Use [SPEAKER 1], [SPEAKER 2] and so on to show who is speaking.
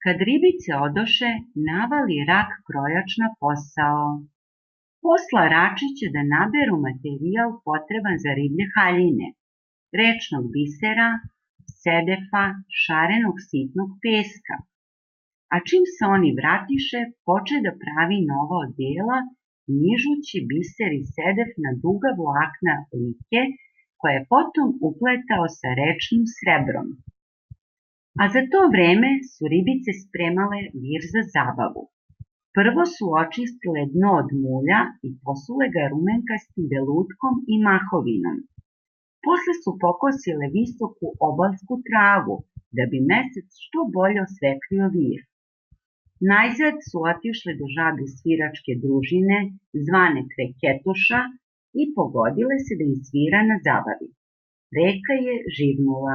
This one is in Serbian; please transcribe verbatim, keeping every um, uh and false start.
[SPEAKER 1] Kad ribice odoše, navali rak krojač na posao. Posla račiće da naberu materijal potreban za riblje haljine, rečnog bisera, sedefa, šarenog sitnog peska. A čim se oni vratiše, poče da pravi nova odela, nižući biser i sedef na duga vlakna like, koje je potom upletao sa rečnim srebrom. A za to vreme su ribice spremale vir za zabavu. Prvo su očistile dno od mulja i posule ga rumenkastim belutkom i mahovinom. Posle su pokosile visoku obalsku travu, da bi mesec što bolje osvetlio vir. Najzad su otišle do žabe sviračke družine, zvane Kreketuša, i pogodile se da im svira na zabavi. Reka je živnula.